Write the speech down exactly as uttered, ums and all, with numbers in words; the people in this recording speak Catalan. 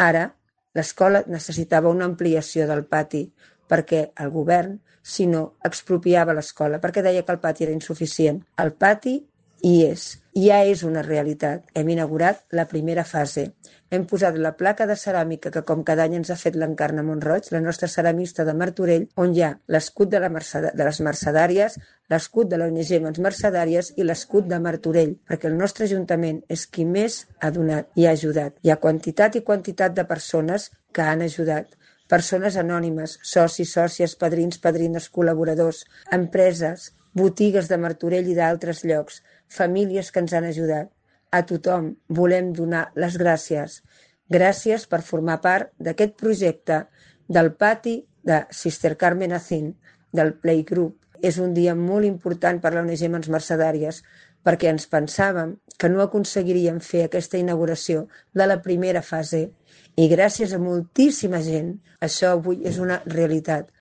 Ara, l'escola necessitava una ampliació del pati perquè el govern, si no, expropiava l'escola, perquè deia que el pati era insuficient. El pati hi és, ja és una realitat. Hem inaugurat la primera fase. Hem posat la placa de ceràmica que com cada any ens ha fet l'Encarna Montroig, la nostra ceramista de Martorell, on hi ha l'escut de, la Merced de les Mercedàries, l'escut de l'O N G Mans Mercedàries i l'escut de Martorell, perquè el nostre Ajuntament és qui més ha donat i ha ajudat. Hi ha quantitat i quantitat de persones que han ajudat. Persones anònimes, socis, sòcies, padrins, padrines, col·laboradors, empreses, botigues de Martorell i d'altres llocs, famílies que ens han ajudat. A tothom volem donar les gràcies. Gràcies per formar part d'aquest projecte del pati de Sister Carmen Acín, del Playgroup. És un dia molt important per la O N G Mans Mercedàries perquè ens pensàvem que no aconseguiríem fer aquesta inauguració de la primera fase i gràcies a moltíssima gent això avui és una realitat.